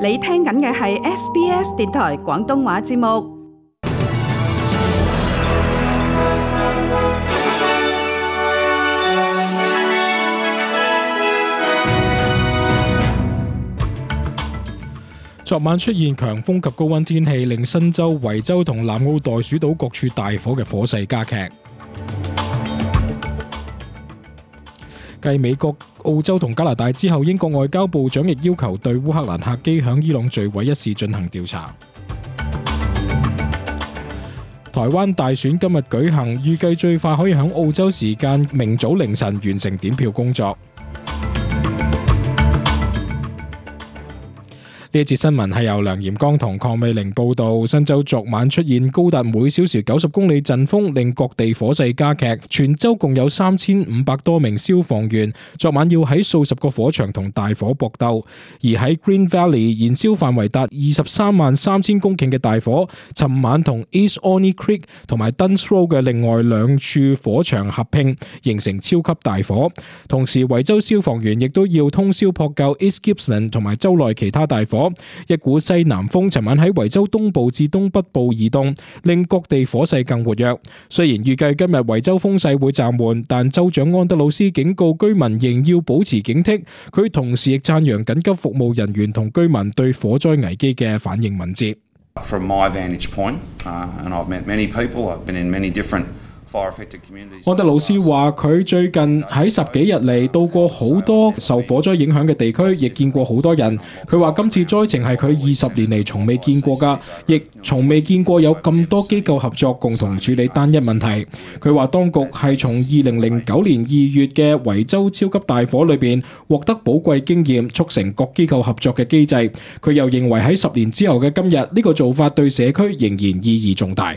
你聽緊嘅係 SBS 電台廣東話節目。昨晚出現強風及高溫天氣，令新州、維州同南澳袋鼠島各處大火嘅火勢加劇。繼美國、澳洲同加拿大之後，英國外交部長亦要求對烏克蘭客機響伊朗墜毀一事進行調查。台灣大選今日舉行，預計最快可以響澳洲時間明早凌晨完成點票工作。呢一節新聞係由梁炎剛同鄺美玲報道。新州昨晚出現高達每小時90公里陣風，令各地火勢加劇。全州共有3500多名消防員昨晚要喺數十個火場同大火搏鬥。而喺 Green Valley 燃燒範圍達233000公頃嘅大火，尋晚同 East Orny Creek 同埋 Duns Road 嘅另外兩處火場合併，形成超級大火。同時，維州消防員亦都要通宵撲救 East Gippsland 同埋州內其他大火。一股西南風尋晚喺維州東部至東北部移動，令各地火勢更活躍。雖然預計今日維州風勢會暫緩，但州長安德魯斯警告居民仍要保持警惕。佢同時亦讚揚緊急服務人員同居民對火災危機嘅反應敏捷。From my vantage point, and I've met many people, I've been in many different安德魯斯話：佢最近喺10幾日嚟到過好多受火災影響嘅地區，亦見過好多人。佢話今次災情係佢20年嚟從未見過㗎，亦從未見過有咁多機構合作共同處理單一問題。佢話當局係從2009年2月嘅維州超級大火裏邊獲得寶貴經驗，促成各機構合作嘅機制。佢又認為喺10年之後嘅今日，呢個做法對社區仍然意義重大。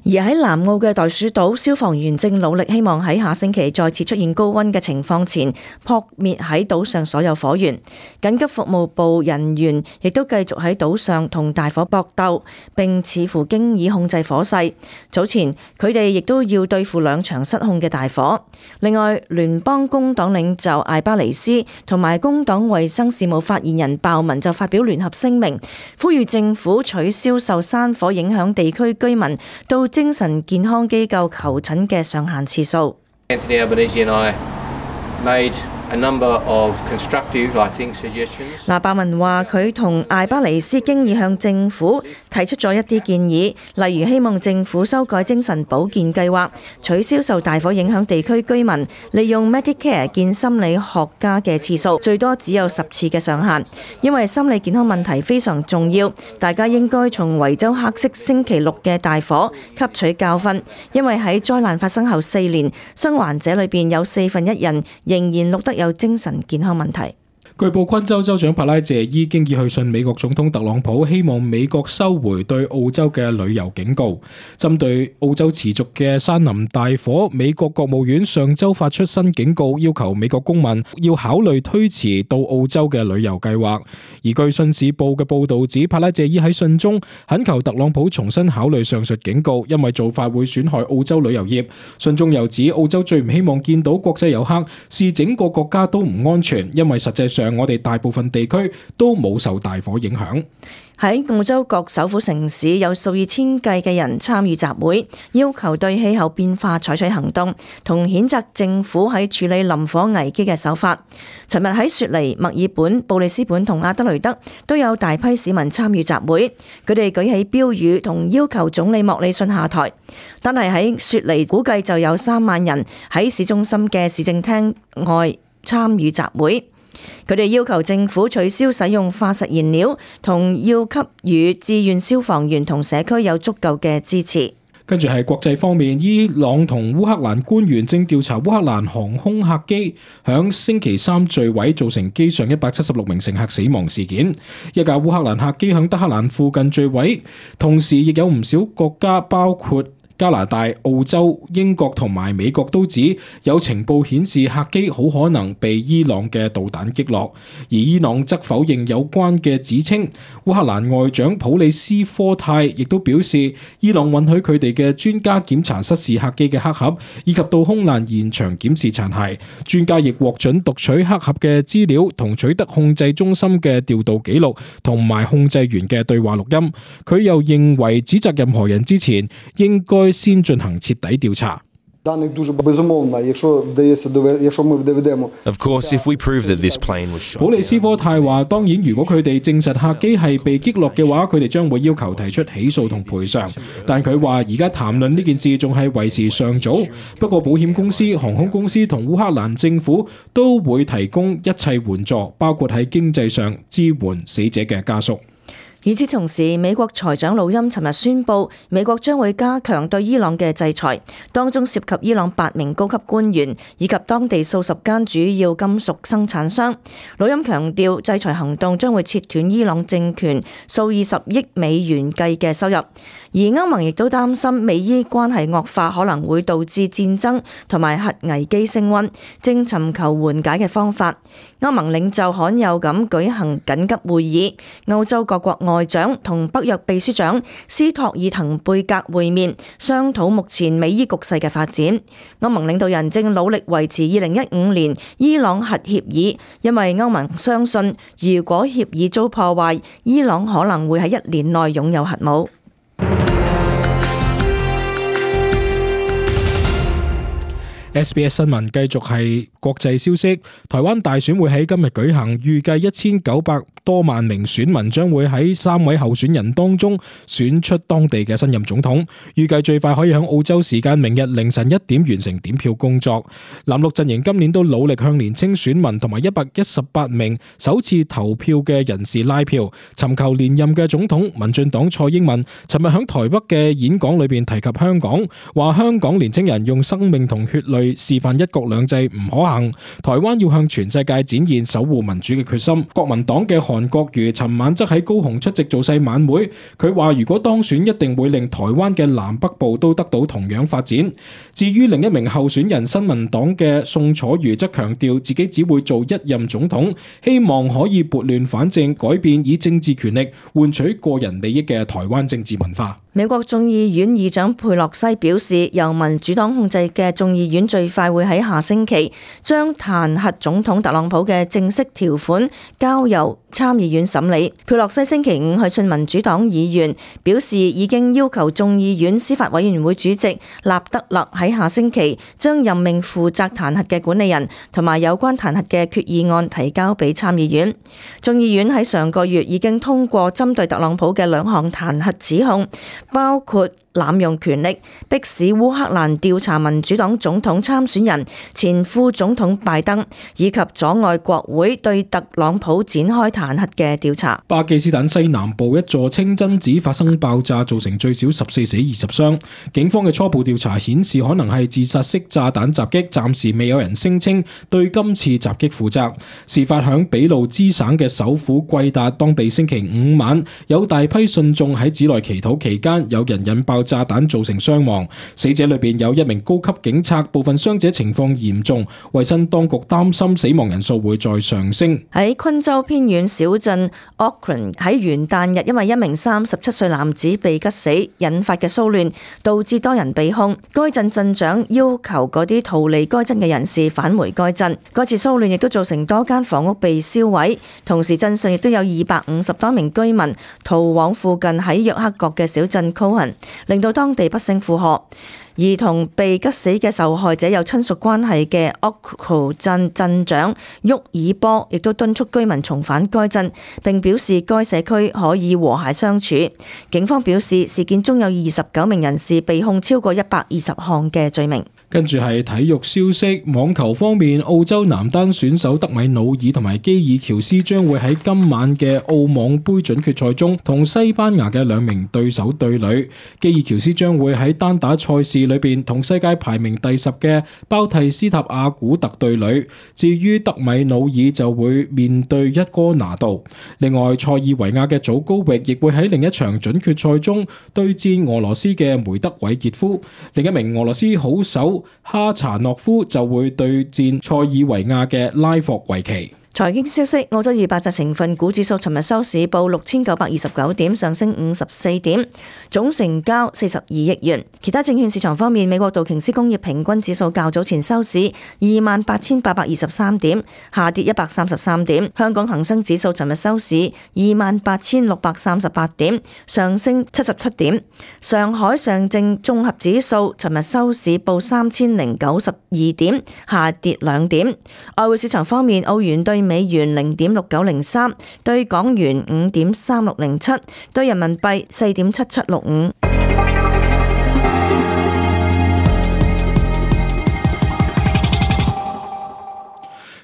而喺南澳嘅袋鼠島，消防員正努力希望喺下星期再次出現高溫嘅情況前撲滅喺島上所有火源。緊急服務部人員亦都繼續喺島上同大火搏鬥，並似乎經已控制火勢。早前佢哋亦都要對付兩場失控嘅大火。另外，聯邦工黨領袖艾巴尼斯同埋工黨衛生事務發言人鮑文就發表聯合聲明，呼籲政府取消受山火影響地區居民到精神健康機構求診嘅上限次數。Anthony Albanese and I made a number of constructive, I think, suggestions. 鮑文話佢同艾巴尼斯經已向政府提出咗一啲建議，例如希望政府修改精神保健計劃，取消受大火影響地區居民利用 Medicare 見心理學家嘅次數，最多只有10次嘅上限。因為心理健康問題非常重要，大家應該從維州黑色星期六嘅大火吸取教訓，因為喺災難發生後4年，生還者裏邊有1/4人仍然錄得有精神健康問題。據報，昆州州長帕拉謝伊經已去信美國總統特朗普，希望美國收回對澳洲嘅旅遊警告。針對澳洲持續嘅山林大火，美國國務院上週發出新警告，要求美國公民要考慮推遲到澳洲嘅旅遊計劃。而據信使報嘅報導指，帕拉謝伊喺信中懇求特朗普重新考慮上述警告，因為做法會損害澳洲旅遊業。信中又指，澳洲最唔希望見到國際遊客視整個國家都唔安全，因為實際上我哋大部分地區都冇受大火影響。喺澳洲各首府城市有數以千計嘅人參與集會，要求對氣候變化採取行動，同譴責政府喺處理林火危機嘅手法。尋日喺雪梨、墨爾本、布里斯本同阿德雷德都有大批市民參與集會，佢哋舉起標語同要求總理莫里遜下台。但係喺雪梨估計就有3萬人喺市中心嘅市政廳外參與集會。佢哋要求政府取消使用化石燃料，同要給予志願消防員同社區有足夠嘅支持。跟住係國際方面，伊朗同烏克蘭官員正調查烏克蘭航空客機響星期3墜毀，造成機上176名乘客死亡事件。一架烏克蘭客機響德黑蘭附近墜毀，同時亦有唔少國家包括加拿大、澳洲、英國同埋美國都指有情報顯示客機好可能被伊朗嘅導彈擊落，而伊朗則否認有關嘅指稱。烏克蘭外長普里斯科泰亦都表示，伊朗允許佢哋嘅專家檢查失事客機嘅黑盒，以及到空難現場檢視殘骸。專家亦獲准讀取黑盒嘅資料，同取得控制中心嘅調度記錄，同埋控制員嘅對話錄音。佢又認為指責任何人之前，應該先進行徹底調查。Of course, if we prove that this plane was shot. 普里斯科泰話：當然，如果佢哋證實客機係被擊落嘅話，佢哋將會要求提出起訴同賠償。但佢話而家談論呢件事仲係為時尚早。不過，保險公司、航空公司同烏克蘭政府都會提供一切援助，包括喺經濟上支援死者嘅家屬。與此同時，美國財長魯欽尋日宣布，美國將會加強對伊朗嘅制裁，當中涉及伊朗8名高級官員以及當地數十間主要金屬生產商。魯欽強調，制裁行動將會切斷伊朗政權數以十億美元計嘅收入。而歐盟亦都擔心美伊關係惡化可能會導致戰爭同埋核危機升溫，正尋求緩解嘅方法。歐盟領袖罕有咁舉行緊急會議，歐洲各國外長同北約秘書長斯托爾滕貝格會面，商討目前美伊局勢嘅發展。歐盟領導人正努力維持2015年伊朗核協議，因為歐盟相信如果協議遭破壞，伊朗可能會喺1年內擁有核武。SBS 新聞繼續係國際消息，台灣大選會喺今日舉行，預計1900多萬名選民將會喺3位候選人當中選出當地嘅新任總統，預計最快可以喺澳洲時間明日凌晨1點完成點票工作。藍綠陣營今年都努力向年輕選民同埋118名首次投票嘅人士拉票，尋求連任嘅總統民進黨蔡英文尋日喺台北嘅演講裏邊提及香港，話香港年輕人用生命同血淚示範一國兩制唔可行，台灣要向全世界展現守護民主嘅決心。國民黨嘅韓國瑜尋晚則喺高雄出席造勢晚會，佢話如果當選一定會令台灣嘅南北部都得到同樣發展。至於另一名候選人新民黨嘅宋楚瑜則強調自己只會做一任總統，希望可以撥亂反正，改變以政治權力換取個人利益嘅台灣政治文化。美國眾議院議長佩洛西表示，由民主黨控制嘅眾議院最快會喺下星期將彈劾總統特朗普嘅正式條款交由參議院審理。佩洛西星期五去信民主黨議員，表示已經要求眾議院司法委員會主席納德勒喺下星期將任命負責彈劾嘅管理人同埋有關彈劾嘅決議案提交俾參議院。眾議院喺上個月已經通過針對特朗普嘅2項彈劾指控，包括濫用權力、迫使烏克蘭調查民主黨總統參選人前副總統拜登，以及阻礙國會對特朗普展開彈劾嘅調查。巴基斯坦西南部一座清真寺發生爆炸，造成最少14死20傷。警方嘅初步調查顯示，可能係自殺式炸彈襲擊，暫時未有人聲稱對今次襲擊負責。事發響俾路支省嘅首府貴達，當地星期五晚有大批信眾喺寺內祈禱期間，有人引爆炸彈造成傷亡，死者裏邊有1名高級警察，部分傷者情況嚴重。衛生當局擔心死亡人數會再上升。喺昆州偏遠小鎮 Auckland 喺元旦日，因為1名37歲男子被吉死引發嘅騷亂，導致多人被控。該鎮鎮長要求嗰啲逃離該鎮嘅人士返回該鎮。該次騷亂亦都造成多間房屋被燒毀，同時鎮上亦都有250多名居民逃往附近喺約克角嘅小鎮 Cohen， 令到當地不勝負荷。而同被吉死嘅受害者有親屬關係嘅 Auckland 鎮鎮長沃爾波亦都敦促居民重返該鎮，並表示該社區可以和諧相處。警方表示，事件中有29名人士被控超過120項嘅罪名。跟住係體育消息，網球方面，澳洲男單選手德米努爾同埋基爾喬斯將會喺今晚嘅澳網杯準決賽中同西班牙嘅2名對手對壘。基爾喬斯將會喺單打賽事士裏邊同世界排名第10嘅包蒂斯塔阿古特對壘。至於德米努爾就會面對一哥拿度。另外，塞爾維亞嘅祖高域亦會喺另一場準決賽中對戰俄羅斯嘅梅德韋傑夫。另一名俄羅斯好手哈查諾夫就會對戰塞爾維亞嘅拉霍維奇。財經消息，澳洲200隻成分股指數尋日收市報6929點，上升54點，總成交42億元。其他證券市場方面，美國道瓊斯工業平均指數較早前收市28,823點，下跌133點。香港恒生指數尋日收市28,638點，上升77點。上海上證綜合指數尋日收市報3092點，下跌2點。外匯市場方面，澳元對美元0.6903，對港元5.3607，對人民幣4.7765。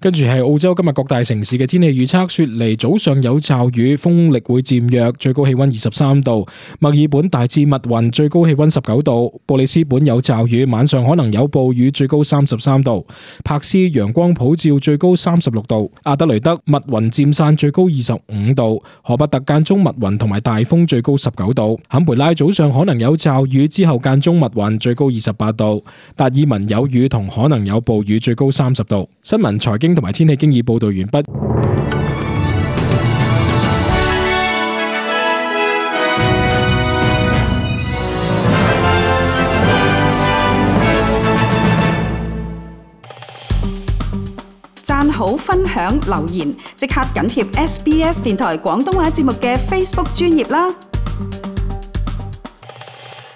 跟住係澳洲今日各大城市嘅天氣預測。雪梨早上有驟雨，風力會漸弱，最高氣溫23度。墨爾本大致密雲，最高氣溫19度。布里斯本有驟雨，晚上可能有暴雨，最高33度。柏斯陽光普照，最高36度。阿德雷德密雲漸散，最高25度。荷伯特間中密雲同埋大風，最高19度。坎培拉早上可能有驟雨，之後間中密雲，最高28度。達爾文有雨同可能有暴雨，最高30度。新聞財經同埋天氣經已報道完畢。讚好、分享、留言，即刻緊貼SBS 電台廣東話節目嘅 Facebook 專頁啦！